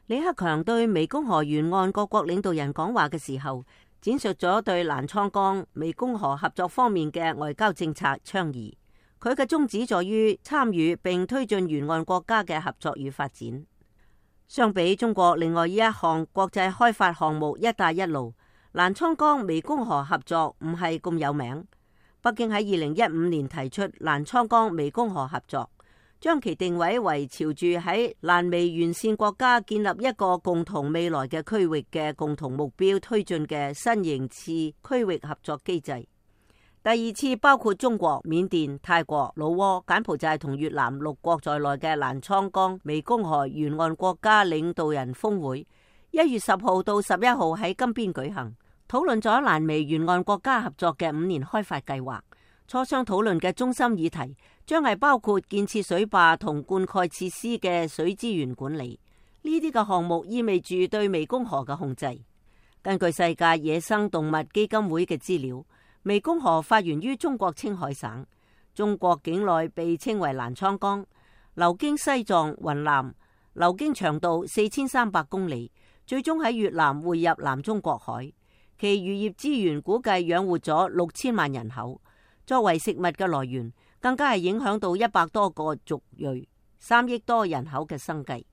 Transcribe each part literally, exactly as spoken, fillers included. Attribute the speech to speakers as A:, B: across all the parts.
A: 李克強對湄公河沿岸各國領導人講話嘅時候，展述咗對瀾滄江、湄公河合作方面嘅外交政策倡議。佢嘅宗旨在於參與並推進沿岸國家嘅合作與發展。相比中國另外一項國際開發項目一帶一路，瀾滄江湄公河合作唔係咁有名。北京喺二零一五年提出瀾滄江湄公河合作，將其定位為朝住喺瀾湄沿線國家建立一個共同未來嘅區域嘅共同目標推進嘅新型次區域合作機制。第二次包括中國、緬甸、泰國、老撾、柬埔寨同越南六國在內嘅瀾滄江湄公河沿岸國家領導人峰會，一月十號到十一號喺金邊舉行，討論咗瀾湄沿岸國家合作嘅五年開發計劃。磋商討論嘅中心議題將係包括建設水壩同灌溉設施嘅水資源管理。呢啲嘅項目意味住對湄公河嘅控制。根據世界野生動物基金會嘅資料，湄公河發源於中國青海省，中國境內被稱為瀾滄江，流經西藏、雲南，流經長度四千三百公里，最終喺越南匯入南中國海。其漁業資源估計養活咗六千萬人口，作為食物嘅來源，更加係影響到一百多個族裔、三億多人口嘅生計。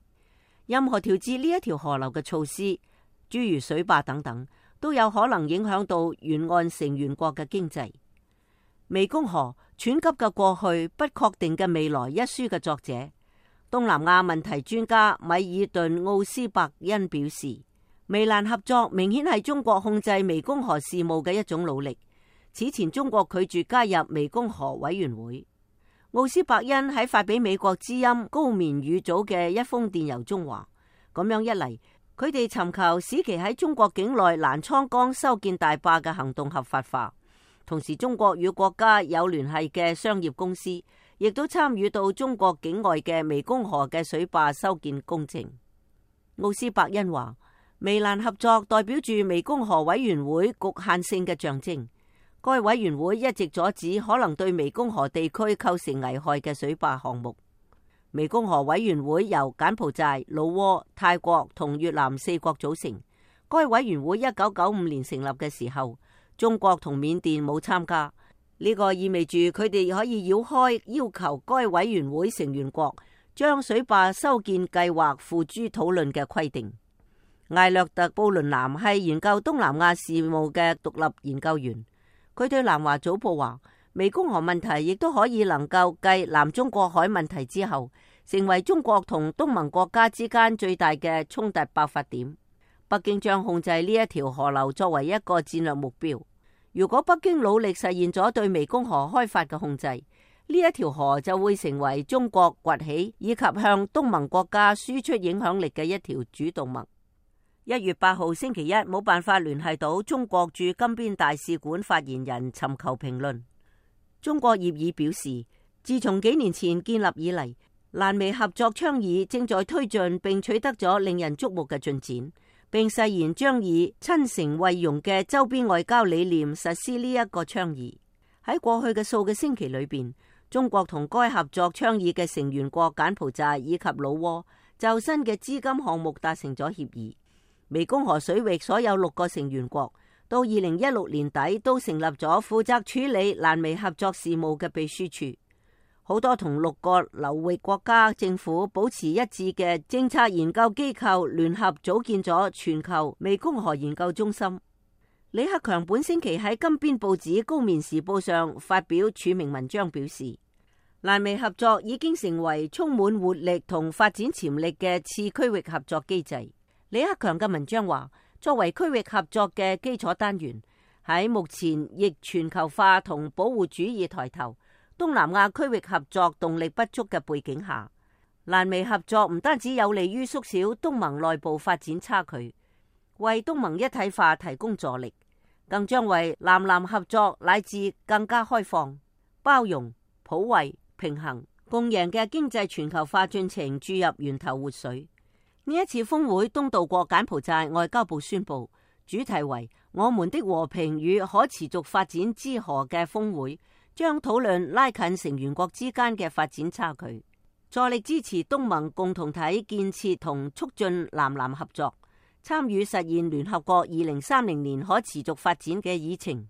A: 任何調節呢一條河流嘅措施，諸如水壩等等，都有可能影響到沿岸成員國嘅經濟。湄公河湍急嘅過去，不確定嘅未來一書嘅作者，東南亞問題專家米爾頓奧斯伯恩表示，湄瀾合作明顯係中國控制湄公河事務嘅一種努力。此前中國拒絕加入湄公河委員會。奧斯伯恩喺發俾美國之音高棉語組嘅一封電郵中話，咁樣一嚟，佢哋尋求使其喺中國境內瀾滄江修建大壩嘅行動合法化，同時中國與國家有聯繫嘅商業公司亦都參與到中國境外嘅湄公河嘅水壩修建工程。奧斯伯恩話，湄瀾合作代表住湄公河委員會局限性嘅象徵。該委員會一直阻止可能對湄公河地區構成危害嘅水壩項目。湄公河委員會由柬埔寨、老撾、泰國同越南四國組成。該委員會一九九五年成立嘅時候，中國同緬甸冇參加。呢個意味住佢哋可以繞開要求該委員會成員國將水壩修建計劃付諸討論嘅規定。艾略特布倫南係研究東南亞事務嘅獨立研究員。佢對南華早報話，湄公河問題亦都可以能夠繼南中國海問題之後，成為中國同東盟國家之間最大嘅衝突爆發點。北京將控制呢一條河流作為一個戰略目標。如果北京努力實現咗對湄公河開發嘅控制，呢一條河就會成為中國崛起以及向東盟國家輸出影響力嘅一條主動脈。一月八號星期一，冇辦法聯繫到中國駐金邊大使館發言人尋求評論。中國業議表示，自從幾年前建立以嚟，瀾湄合作倡議正在推進並取得咗令人矚目嘅進展，並誓言將以親誠惠容嘅周邊外交理念實施呢一個倡議。喺過去嘅數個星期裏邊，中國同該合作倡議嘅成員國柬埔寨以及老撾就新嘅資金項目達成咗協議。湄公河水域所有六個成員國到二零一六年底都成立咗負責處理瀾湄合作事務嘅秘書處。好多同六個流域國家政府保持一致嘅政策研究機構聯合組建咗全球湄公河研究中心。李克強本星期喺金邊報紙《高棉時報》上發表署名文章，表示瀾湄合作已經成為充滿活力同發展潛力嘅次區域合作機制。李克強嘅文章話，作為區域合作嘅基礎單元，喺目前逆全球化同保護主義抬頭、東南亞區域合作動力不足嘅背景下，瀾湄合作唔單止有利於縮小東盟內部發展差距，為東盟一體化提供助力，更將為南南合作乃至更加開放、包容、普惠、平衡、共贏嘅經濟全球化進程注入源頭活水。呢一次峰會東道國柬埔寨外交部宣布，主題為我們的和平與可持續發展之河嘅峰會，將討論拉近成員國之間嘅發展差距。助力支持東盟共同體建設同促進南南合作，參與實現聯合國二零三零年可持續發展嘅議程。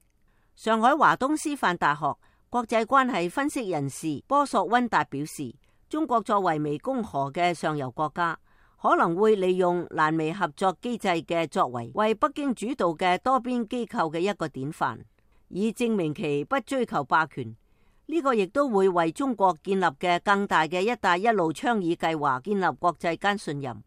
A: 上海華東師範大學國際關係分析人士波索溫達表示，中國作為湄公河嘅上游國家，可能會利用瀾湄合作機制嘅作為，為北京主導嘅多邊機構嘅一個典範，以證明其不追求霸權。呢個亦都會為中國建立嘅更大嘅一帶一路倡議計劃建立國際間信任。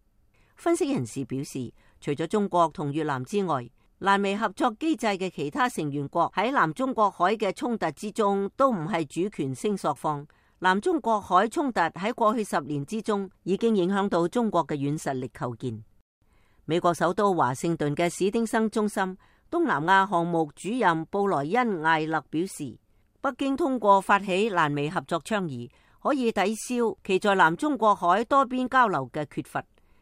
A: 分析人士表示，除咗中國同越南之外，瀾湄合作機制嘅其他成員國喺南中國海嘅衝突之中都唔係主權聲索方。南中國海衝突喺過去十年之中已經影響到中國嘅軟實力構建。美國首都華盛頓嘅史丁生中心東南亞項目主任布萊恩艾勒表示，北京通過發起瀾湄合作倡議，可以抵消其在南中國海多邊交流嘅缺乏，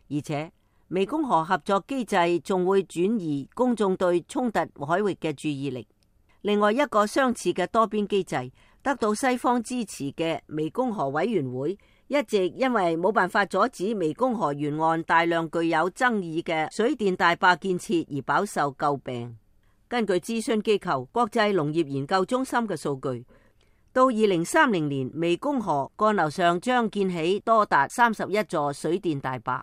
A: 而且湄公河合作機制仲會轉移公眾對衝突海域嘅注意力。另外一個相似嘅多邊機制，得到西方支持嘅湄公河委員會，一直因為冇辦法阻止湄公河沿岸大量具有爭議嘅水電大壩建設而飽受詬病。根據諮詢機構國際農業研究中心嘅數據，到二零三零年，湄公河幹流上將建起多達三十一座水電大壩。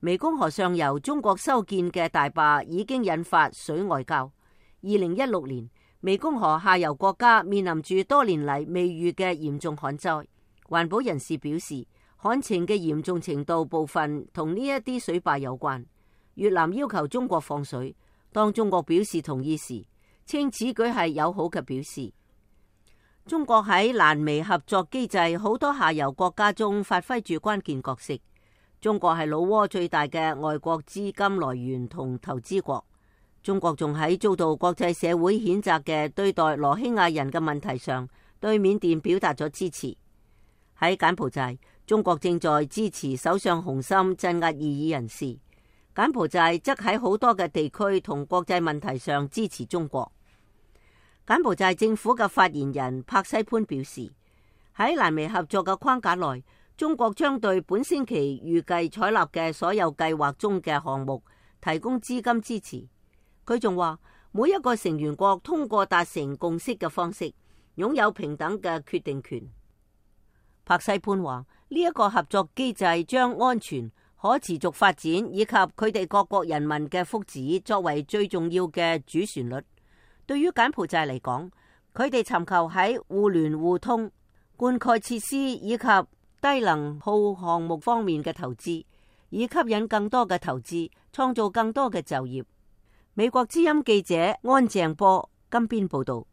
A: 湄公河上游中國修建嘅大壩已經引發水外交。二零一六年，湄公河下游國家面臨住多年嚟未遇嘅嚴重旱災。環保人士表示，旱情嘅嚴重程度部分同呢一啲水壩有關。越南要求中國放水，當中國表示同意時，稱此舉係友好嘅表示。中國喺瀾湄合作機制好多下游國家中發揮住關鍵角色。中國係老撾最大嘅外國資金來源同投資國。中國仲喺遭到國際社會譴責嘅對待羅興亞人嘅問題上，對緬甸表達咗支持。喺柬埔寨，中國正在支持首相洪森鎮壓異議人士。柬埔寨則喺好多嘅地區同國際問題上支持中國。柬埔寨政府嘅發言人帕西潘表示，喺瀾湄合作嘅框架內，中國將對本星期預計採納嘅所有計劃中嘅項目提供資金支持。佢仲話，每一個成員國通過達成共識嘅方式，擁有平等嘅決定權。帕西潘話，呢一個合作機制將安全、可持續發展以及佢哋各國人民嘅福祉作為最重要嘅主旋律。對於柬埔寨嚟講，佢哋尋求喺互聯互通、灌溉設施以及低能耗項目方面嘅投資，以吸引更多嘅投資，創造更多嘅就業。美國之音記者安鄭波金邊報道。